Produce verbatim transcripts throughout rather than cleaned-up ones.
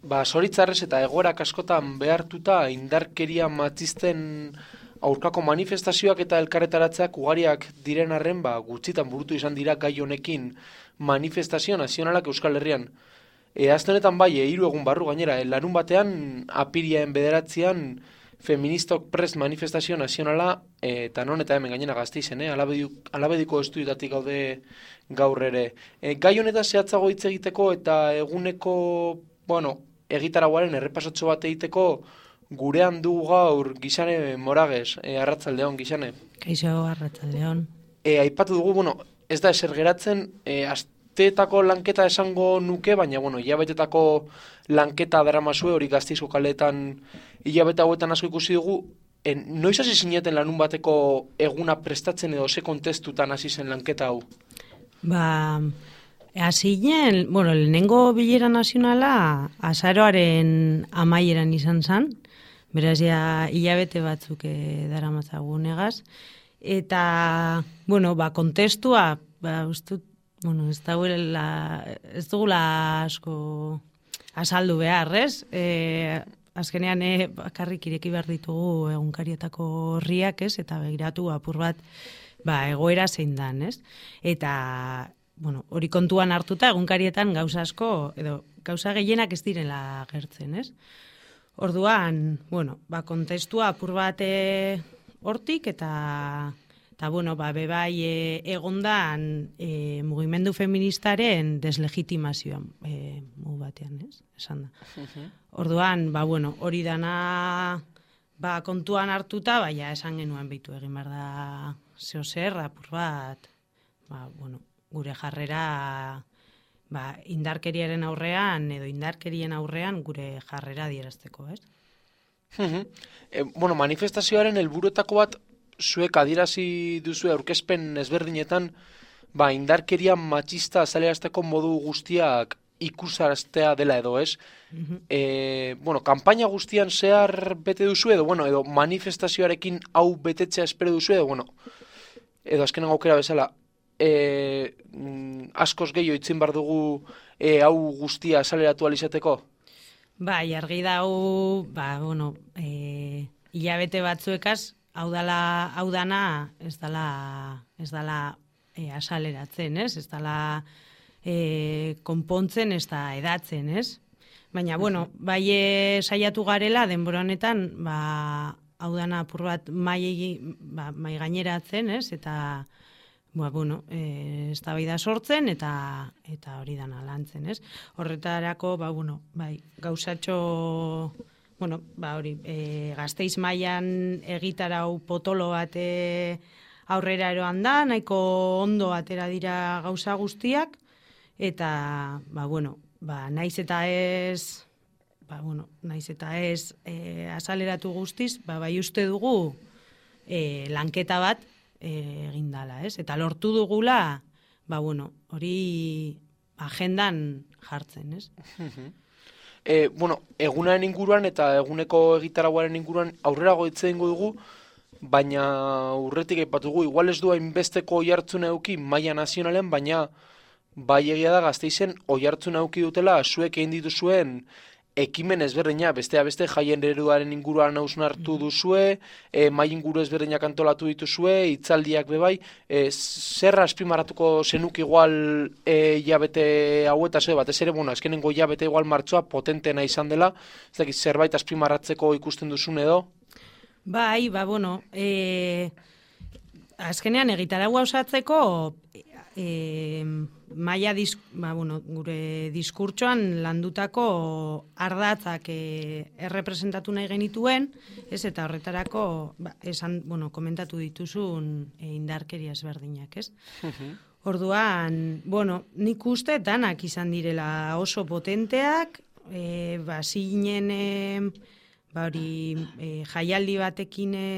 ba, zoritzarrez eta egoerak askotan behartuta indarkeria matxisten aurkako manifestazioak eta elkarretaratzeak ugariak diren arren, ba, gutxitan burutu izan dira gai honekin manifestazio nazionalak Euskal Herrian. E, azte honetan bai, e, hiru egun barru gainera, e, larun batean, apiriaen bederatzean, feministok prest manifestazio nazionala, e, eta non eta hemen gainera Gasteizen, eh? Alabediko estudietatik gaude gaur ere. E, gai honetaz zehatzago hitz egiteko eta eguneko, bueno, egitarauaren errepasatxo bat egiteko gurean dugu gaur Gixane Moragues, e, arratsaldeon Gixane. Kaixo, arratsaldeon. E, aipatu dugu, bueno, ez da eser geratzen, e, asteetako lanketa esango nuke, baina, bueno, hilabetetako lanketa daramazue hori Gasteizko kaleetan hilabete hauetan asko ikusi dugu. E, noiz hasi zineten lanun bateko eguna prestatzen edo ze kontestutan hasi zen lanketa hau? Ba, hasi ginen, bueno, lehenengo bilera nazionala azaroaren amaieran izan zen, beraz ja hilabete batzuk e, daramatzagun egaz, eta, bueno, ba, kontestua, ba, ustut, bueno, ez dagoela, ez dugula asko azaldu behar, ez? E, azkenean, e, bakarrik ireki behar ditugu egunkarietako horriak, ez? Eta begiratu apur bat, ba, egoera zein dan, ez? Eta, bueno, hori kontuan hartuta egunkarietan gauza asko, edo gauza gehienak ez direla gertzen, ez? Orduan, bueno, ba, kontestua apur bat e, hortik, eta, eta bueno, ba, bebai e, egondan e, mugimendu feministaren deslegitimazioan e, mugu batean, ez? Esan da. Orduan, ba, bueno, hori dana ba, kontuan hartuta, baina esan genuen behitu egin behar da zeo zer, apur bat, ba, bueno, gure jarrera ba, indarkeriaren aurrean edo indarkerien aurrean gure jarrera adierazteko, ez? e, bueno, manifestazioaren helburuetako bat zuek adierazi duzu aurkezpen ezberdinetan, ba, indarkeria matxista azalerazteko modu guztiak ikusaraztea dela edo, ez? E, bueno, kanpaina guztian zehar bete duzu edo, bueno, edo manifestazioarekin hau betetzea espero duzu edo, bueno, edo azkenen aukera bezala, e, mm, askoz gehiago itzin bar dugu e, hau guztia azaleratu alizateko? Bai, argi dau, ba, bueno, e, hilabete batzuekaz, hau dala, hau dana, ez dala, ez dala e, asaleratzen, ez? Ez dala e, konpontzen, ez da edatzen, ez? Baina, bueno, bai e, saiatu garela, denbora honetan, ba, hau dana apur bat mai, ba, mai gaineratzen, ez? Eta, ba, bueno, e, eztabaida sortzen eta eta hori dana lantzen, ez? Horretarako, ba, bueno, bai, gauzatxo, bueno, ba, hori, e, Gasteiz mailan egitarau potolo bat e, aurrera eroan da, nahiko ondo atera dira gauza guztiak, eta, ba, bueno, ba, naiz eta ez, ba, bueno, naiz eta ez e, azaleratu guztiz, ba, bai uste dugu e, lanketa bat egin dala, ez? Eta lortu dugula, ba, bueno, hori agendan jartzen, ez? e, bueno, egunaren inguruan eta eguneko egitarauaren inguruan aurrera goitze ingo dugu, baina urretik aipatu dugu, igual ez du hainbesteko oihartzuna eduki maila nazionalen, baina bai egia da Gasteizen oihartzuna eduki dutela zuek egin dituzuen ekimen ezberdina, bestea beste jaien ereduaren inguruan hausnartu duzue, e, mai inguru ezberdinak antolatu dituzue, hitzaldiak bebai, e, zer azpimarratuko zenuk igual e, jabete hauetaz, e, batez ere, bueno, azkenengo jabete igual martxoa potentena izan dela, ez dakit zerbait azpimarratzeko ikusten duzun edo? Bai, ba, bueno, e, azkenean egitaragua osatzeko e, maia disk, ba, bueno, gure diskurtsoan landutako ardatzak e, errepresentatu nahi genituen, ez, eta horretarako ba, esan, bueno, komentatu dituzun e, indarkeria ezberdinak, ez? Orduan, bueno, nik uste danak izan direla oso potenteak, e, ba, zinen e, ba, hori, e, jaialdi batekin e,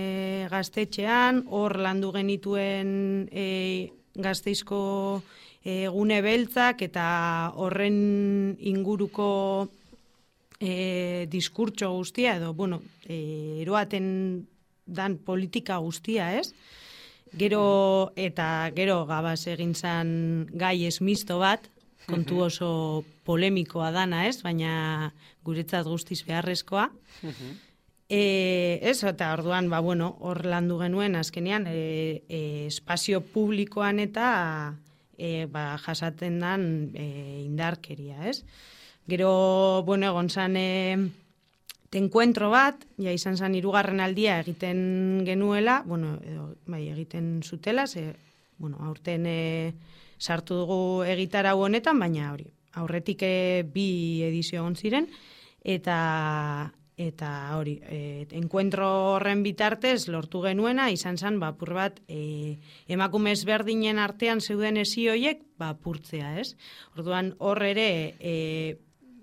gaztetxean, hor landu genituen e, Gasteizko gune beltzak eta horren inguruko e, diskurtso guztia, edo, bueno, e, eroaten dan politika guztia, ez? Gero, eta gero gabaz egin zan gai esmisto bat, kontu oso polemikoa dana, ez? Baina guretzat guztiz beharrezkoa. E, ez, eta orduan, ba, bueno, hor landu genuen azkenean e, e, espazio publikoan eta e, ba, jasaten dan e, indarkeria, ez? Gero, bueno, egon zan e, tenkuentro bat, ja izan zan hirugarren aldia egiten genuela, bueno, edo, bai, egiten zutela, ze, bueno, aurten e, sartu dugu egitarau honetan, baina hori, aurretik e, bi edizio egon ziren, eta eta hori, e, enkuentro horren bitartez lortu genuena, izan zen, ba, apur bat, e, emakumez berdinen artean zeuden ezi hoiek, ba, apurtzea, ez? Orduan, hor ere, e,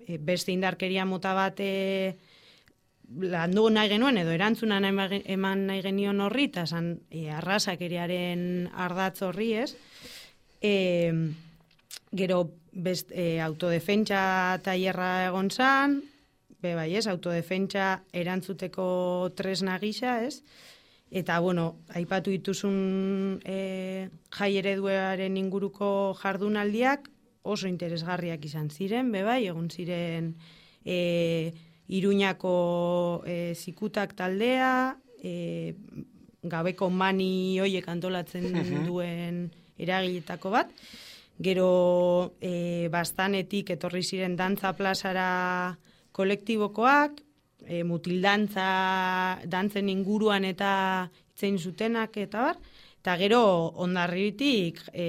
e, beste indarkeria mota bat e, landu nahi genuen, edo erantzuna nahi, eman nahi genion horri, eta zan, e, arrazakeriaren ardatz horri, ez? E, gero, best, e, autodefentsa tailerra egon zan, be bai, ez, autodefentsa erantzuteko tresna gisa, ez? Eta, bueno, aipatu dituzun e, jai ereduaren inguruko jardunaldiak oso interesgarriak izan ziren, be bai, egon ziren e, Iruñako e, zikutak taldea, e, gabeko mani hoiek antolatzen duen eragiletako bat, gero e, bastanetik etorri ziren dantza plazara kolektibokoak, e, mutildantza dantzen inguruan eta itzein zutenak eta bar, eta gero Hondarribitik e,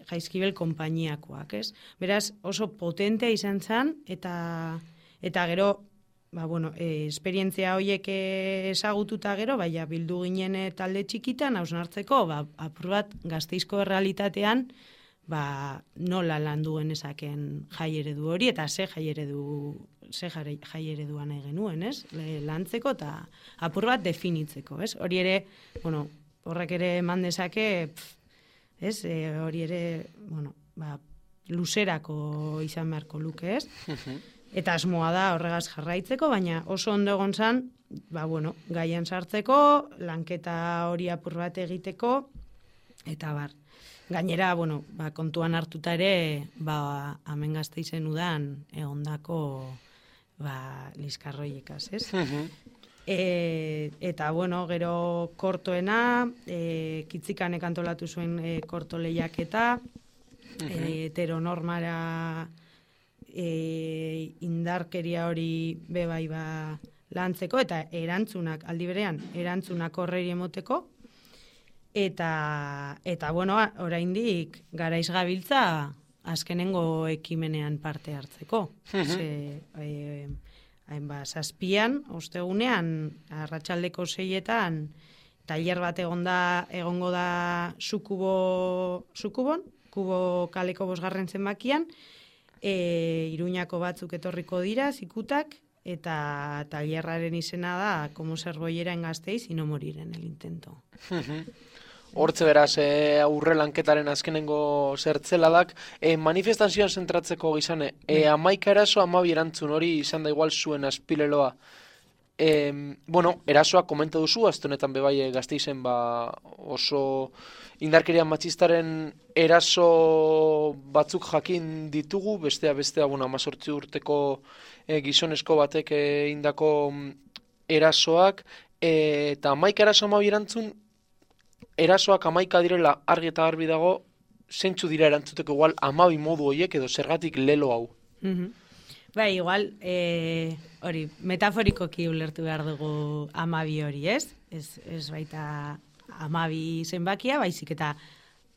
Jaizkibel konpainiakoak, ez? Beraz, oso potentea izan zen, eta, eta gero, ba, bueno, e, esperientzia horiek ezagututa gero, baina bildu ginen talde txikitan, hausnartzeko, ba, apur bat Gasteizko errealitatean, ba, nola landu genezaken jai eredu hori, eta ze jai eredu ze jai eredua nahi genuen, ez? Lantzeko eta apur bat definitzeko, ez? Hori ere, bueno, horrek ere eman dezake, ez? E, hori ere, bueno, ba, luzerako izan beharko luke, ez? Eta asmoa da horregaz jarraitzeko, baina oso ondo egon zan, ba, bueno, gaian sartzeko, lanketa hori apur bat egiteko, eta bar. Gainera, bueno, ba, kontuan hartuta ere, ba, hemen Gasteizen udan egondako ba, liskarroiekaz, ez? e, eta, bueno, gero kortoena, e, Kitzikanek antolatu zuen e, korto lehiaketa, e, heteronormara e, indarkeria hori bebai ba, lantzeko, eta erantzunak, aldi berean, erantzunak horreri emoteko, Eta, eta bueno, oraindik garaiz gabiltza azkenengo ekimenean parte hartzeko. Ze, e, hain ba, zazpian, ostegunean, arratsaldeko seietan, tailer bat egonda, egongo da Sukubo, Sukubon, Kubo kaleko bosgarren zenbakian, e, Iruñako batzuk etorriko dira, zikutak, eta tailerraren izena da, como ser boyera en Gasteiz y no morir en el intento. Hortze beraz, e, aurre lanketaren azkenengo zertzeladak, e, manifestazioan zentratzeko gizane, e, amaika eraso amabi erantzun hori izan da igual zuen azpileloa. E, bueno, erasoa komenta duzu, aztonetan bebai Gasteizen ba, oso indarkeria matxistaren eraso batzuk jakin ditugu, bestea bestea, bueno, amazortzi urteko e, gizonesko batek e, indako erasoak, e, eta amaika eraso amabi erantzun, erasoak amaika direla argi eta garbi dago, zentzu dira erantzuteko igual amabi modu horiek edo zergatik lelo hau. Mm-hmm. Bai, igual, e, hori, metaforikoki ulertu behar dugu amabi hori, ez? Ez, ez baita amabi zenbakia, baizik eta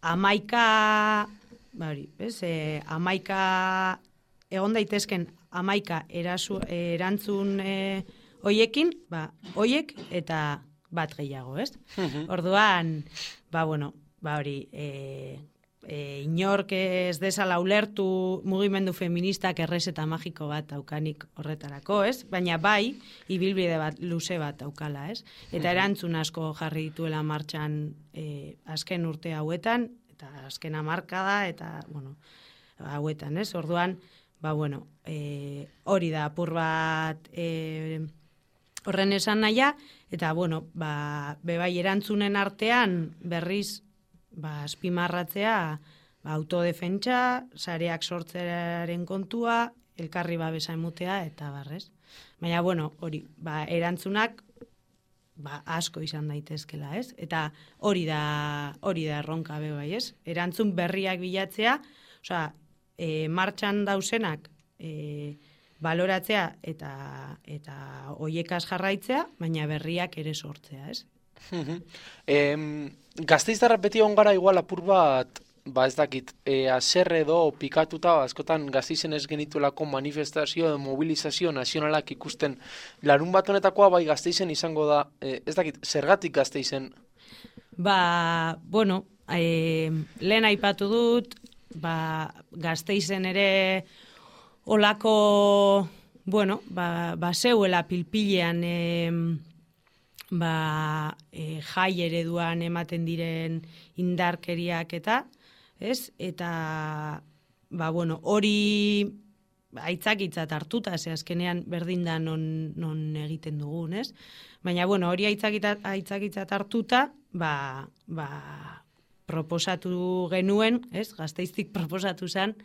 amaika, ba hori, ez? E, amaika, egon daitezken amaika erasu, erantzun e, hoiekin, ba, hoiek eta bat gehiago, ez? Orduan, ba, bueno, ba, hori, e, e, inork ez desala ulertu mugimendu feministak errezeta magiko bat aukanik horretarako, ez? Baina bai, ibilbide bat, luze bat aukala, ez? Eta erantzun asko jarri dituela martxan e, azken urte hauetan, eta azken hamarkada, eta, bueno, hauetan, ez? Orduan, ba, bueno, e, hori da, apur bat e, horren esan naia, eta, bueno, ba, bebai erantzunen artean berriz, ba, azpimarratzea, autodefentsa, sareak sortzearen kontua, elkarri babesa emutea, eta barrez. Baina, bueno, hori, ba, erantzunak ba, asko izan daitezkela, ez? Eta hori da, hori da erronka be bai, ez? Erantzun berriak bilatzea, osea, e, martxan dausenak e, baloratzea eta eta hoiekaz jarraitzea, baina berriak ere sortzea, ez? em, Gasteiztarrak beti egon gara igual apur bat, ba ez dakit, e, aserre edo pikatuta, askotan Gasteizen ez genituelako manifestazio edo mobilizazio nazionalak ikusten. Larun bat honetakoa bai Gasteizen izango da, e, ez dakit, zergatik Gasteizen? Ba, bueno, e, lehen aipatu dut, ba, Gasteizen ere olako, bueno, ba, ba zeuela pilpilean e, ba, e, jai ereduan ematen diren indarkeriak eta, ez? Eta, ba, bueno, hori aitzakitzat hartuta, ze azkenean berdin da non, non egiten dugun, ez? Baina, bueno, hori aitzakitzat hartuta, ba, ba, proposatu genuen, ez? Gasteiztik proposatu zen,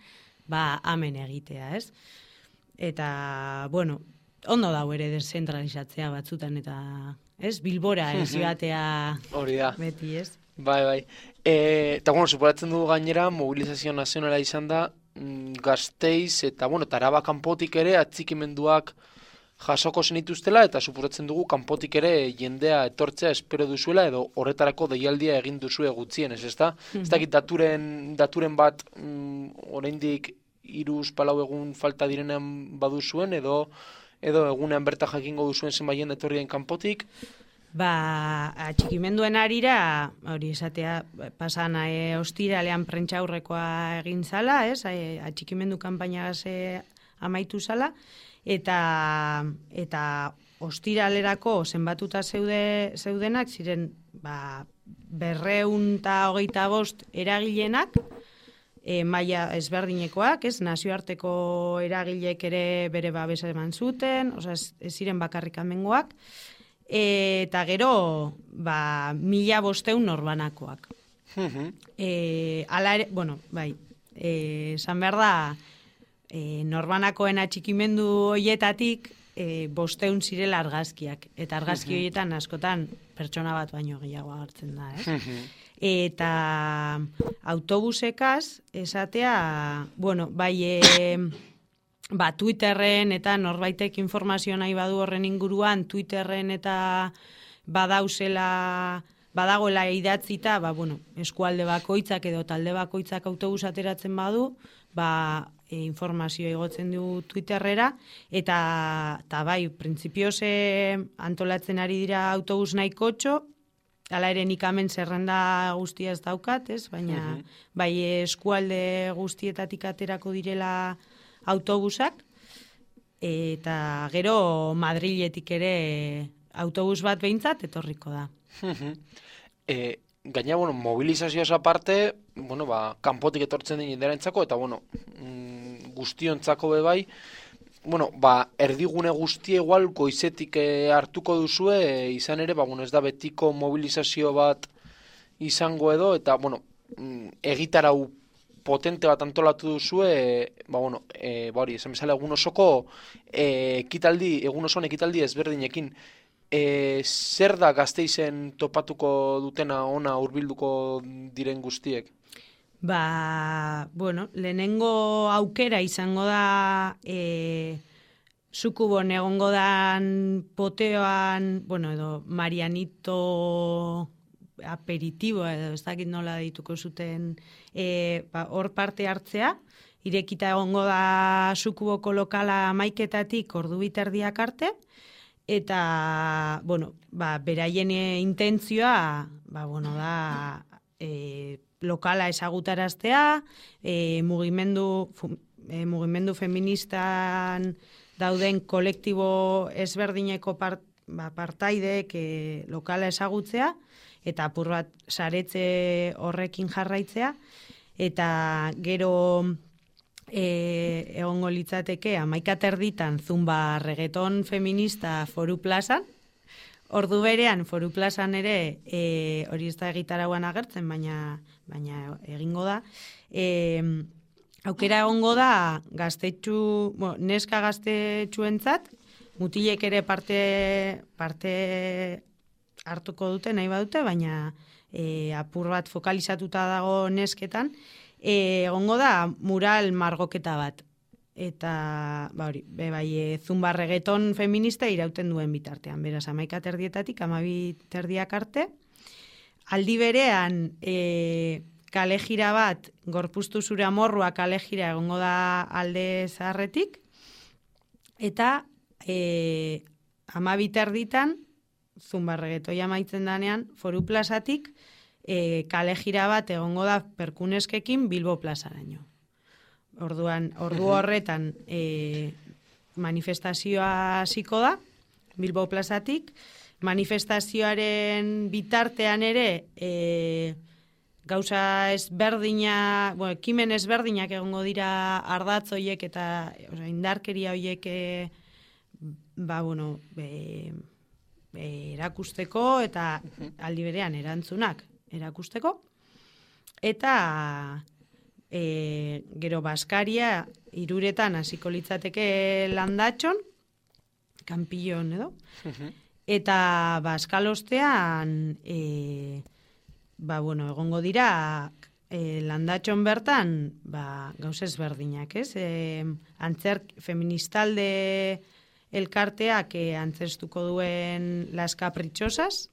ba, amen egitea, ez? Eta, bueno, ondo dau ere deszentralizatzea batzutan, eta, ez? Bilbora ez joatea hori da. Beti, ez? Bai, bai. E, eta, bueno, superatzen dugu gainera, mobilizazio nazionala izan da, mm, Gasteiz, eta, bueno, eta Araba kanpotik ere atxikimenduak jasoko zenituztela, eta superatzen dugu kanpotik ere jendea etortzea espero duzuela, edo horretarako deialdia egin duzue gutxien, ez ezta? Ez dakit daturen, daturen bat mm, oraindik hiruz palau egun falta direnean baduzuen, edo edo egunean berta jakingo duzuen zenbaien etorri den kanpotik? Ba, atxikimenduen arira, hori esatea, pasan e, ostiralean prentxaurrekoa egin zala, ez? E, atxikimendu kanpainagaz e, amaitu zala, eta eta ostiralerako zenbatuta zeude, zeudenak, ziren ba, berreun eta hogeita bost eragilenak, e, maila ezberdinekoak, ez? Nazioarteko eragilek ere bere babesa eman zuten, osea, ez, ez ziren bakarrik amengoak, eta gero, ba, mila bosteun norbanakoak. e, ala ere, bueno, bai, e, esan behar da, e, norbanakoen atxikimendu hoietatik, e, bosteun zirela argazkiak. Eta argazki horietan askotan pertsona bat baino gehiago agertzen da, ez? Eta autobusekaz, esatea, bueno, bai, e, ba, Twitterren eta norbaitek informazio nahi badu horren inguruan, Twitterren eta badauzela, badagoela idatzita, ba, bueno, eskualde bakoitzak edo talde bakoitzak autobus ateratzen badu, ba, e, informazio igotzen du Twitterrera, eta, eta bai, printzipioz antolatzen ari dira autobus nahikotxo, hala ere nik hemen zerrenda guztia ez daukat, ez? Baina, bai, eskualde guztietatik aterako direla autobusak, eta gero Madriletik ere autobus bat behintzat etorriko da. e, gaina, bueno, mobilizazioaz aparte, bueno, ba, kanpotik etortzen den jendearentzako, eta, bueno, mm, guztiontzako be bai, bueno, ba, erdigune guztie igual goizetik e, hartuko duzue, e, izan ere, ba, bueno, ez da betiko mobilizazio bat izango edo, eta, bueno, mm, egitarau potente bat antolatu duzue, e, ba, bueno, e, ba hori, esan bezala egun osoko e, ekitaldi, egun osoan ekitaldi ezberdinekin. E, zer da Gasteizen topatuko dutena ona hurbilduko diren guztiek? Ba, bueno, lehenengo aukera izango da e, Sukubon egongo dan poteoan, bueno, edo Marianito aperitibo, edo ez dakit nola dituko zuten, e, ba, hor parte hartzea, irekita egongo da Sukuboko lokala maiketatik ordu biterdiak arte, eta, bueno, ba, beraien intentzioa, ba, bueno, da, e, lokala ezagutaraztea, e, mugimendu, fu, e, mugimendu feministan dauden kolektibo ezberdineko part, ba, partaideek e, lokala ezagutzea, eta apur bat saretze horrekin jarraitzea, eta gero e, egongo litzateke hamaika terditan zumba reggaeton feminista Foru Plazan, ordu berean Foru Plazan ere e, hori ez da egitarauan agertzen, baina baina egingo da. E, aukera egongo da gaztetxu, bueno, neska gaztetxuentzat, mutilek ere parte parte hartuko dute nahi badute, baina e, apur bat fokalizatuta dago nesketan, e, egongo da mural margoketa bat. Eta, ba hori, be bai, e, zumba reggaeton feminista irauten duen bitartean. Beraz, amaika terdietatik, amabi terdiak arte. Aldi berean, e, kale jira bat, gorpuztu zure amorrua kale jira egongo da alde zaharretik. Eta, e, amabi terditan, zumba reggaetoi amaitzen danean, Foru Plazatik, e, kale jira bat egongo da perkuneskekin Bilbo plazaraino. Orduan, ordu horretan e, manifestazioa hasiko da, Bilbo plazatik. Manifestazioaren bitartean ere e, gauza ezberdina, bueno, ekimen ezberdinak egongo dira ardatz hoiek eta oza, indarkeria hoiek e, ba, bueno, be, be, erakusteko eta aldi berean erantzunak erakusteko. Eta E, gero Baskaria Hiruretan hasiko litzateke Landatxon, Kanpillon edo, eta Baskalostean e, ba, bueno, egongo dira e, Landatxon bertan ba, gauza ezberdinak, ez? E, antzerk feministalde elkarteak e, antzerstuko duen Las Caprichosas,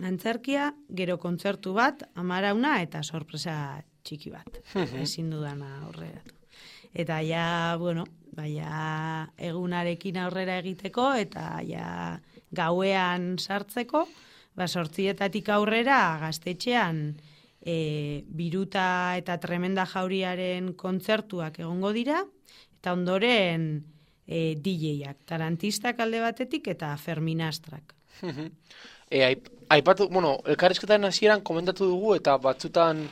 antzerkia, gero kontzertu bat, Amarauna eta sorpresa txiki bat, ezin dudana aurreratu. Eta ja, bueno, ja egunarekin aurrera egiteko, eta ja gauean sartzeko, ba, sortzietatik aurrera gaztetxean e, Biruta eta Tremenda Jauriaren kontzertuak egongo dira, eta ondoren e, D J-ak, tarantistak alde batetik eta Ferminastrak. e, aipatu, bueno, elkarrizketaren hasieran komentatu dugu, eta batzutan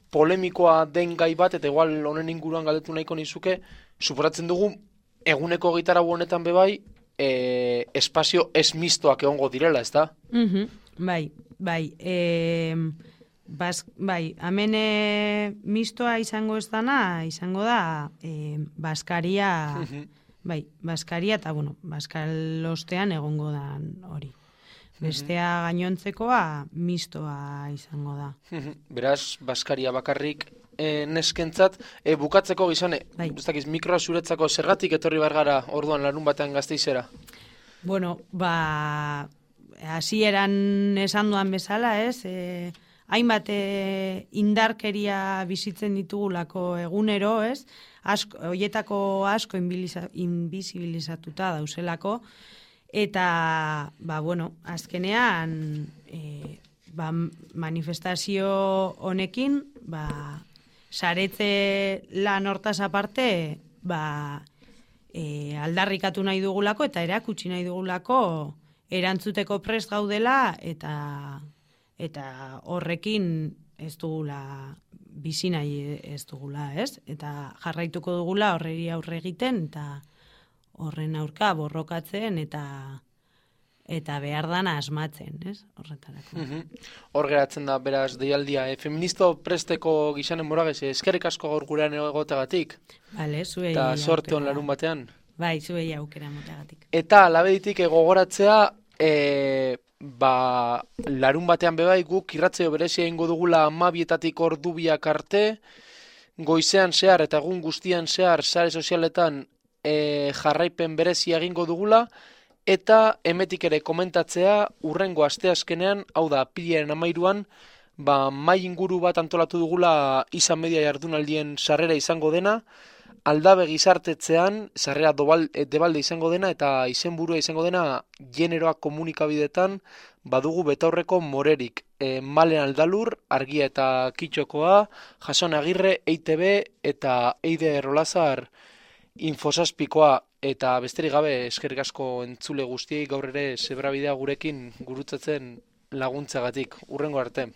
polemikoa den gai bat, eta igual honen inguruan galdetu nahiko nizuke, suporatzen dugu eguneko gitarra honetan bebai, e, espazio ez mistoak egongo direla, ez da? Mm-hmm. Bai, bai. E, bas, bai, hemen e, mistoa izango ez dana, izango da e, Baskaria, mm-hmm. bai, Baskaria, eta bueno, Baskalostean egongo da hori. Bestea gainontzekoa mistoa izango da. Beraz, Baskaria bakarrik e, neskentzat, e, bukatzeko gizane, bai. Uztakiz, mikroa zuretzako zergatik etorri bargara orduan larun batean Gasteizera? Bueno, ba, hasieran esan duan bezala, ez? E, hainbat e, indarkeria bizitzen ditugulako egunero, ez? Asko, hoietako asko invisibilizatuta dauzelako, eta, ba, bueno, azkenean e, ba, manifestazio honekin, ba, saretze lan hortaz aparte, ba, e, aldarrikatu nahi dugulako eta erakutsi nahi dugulako erantzuteko prest gaudela eta eta horrekin ez dugula bizi nahi ez dugula, ez? Eta jarraituko dugula horreri aurre egiten eta horren aurka borrokatzen eta eta behar dana asmatzen, ez? Horretarako. Mm-hmm. Hor geratzen da, beraz, deialdia. E, feministo presteko gizanen moragez, eskerrik asko gaur gurean egoteagatik. Bale, zuei eta sorte hon larun batean. Bai, zuei aukera moteagatik. Eta labeditik gogoratzea, e, ba, larun batean bebai guk irratzeo berezia ingo dugula amabietatik ordubiak arte, goizean zehar eta egun guztian zehar sare sozialetan E, jarraipen berezia egingo dugula, eta emetik ere komentatzea urrengo asteazkenean, hau da, pilaren amairuan, ba, mai inguru bat antolatu dugula izan media jardunaldien sarrera izango dena, aldabe gizartetzean, sarrera dobal, debalde izango dena, eta izenburua izango dena generoa komunikabidetan, badugu betaurreko morerik. E, Malen Aldalur, Argia eta Kitxokoa, Jason Agirre, E I T B eta Eide Rolazar Infosazpikoa, eta besterik gabe eskerrik asko entzule guztiei gaur ere zebrabidea gurekin gurutzatzen laguntzagatik. Hurrengo arte.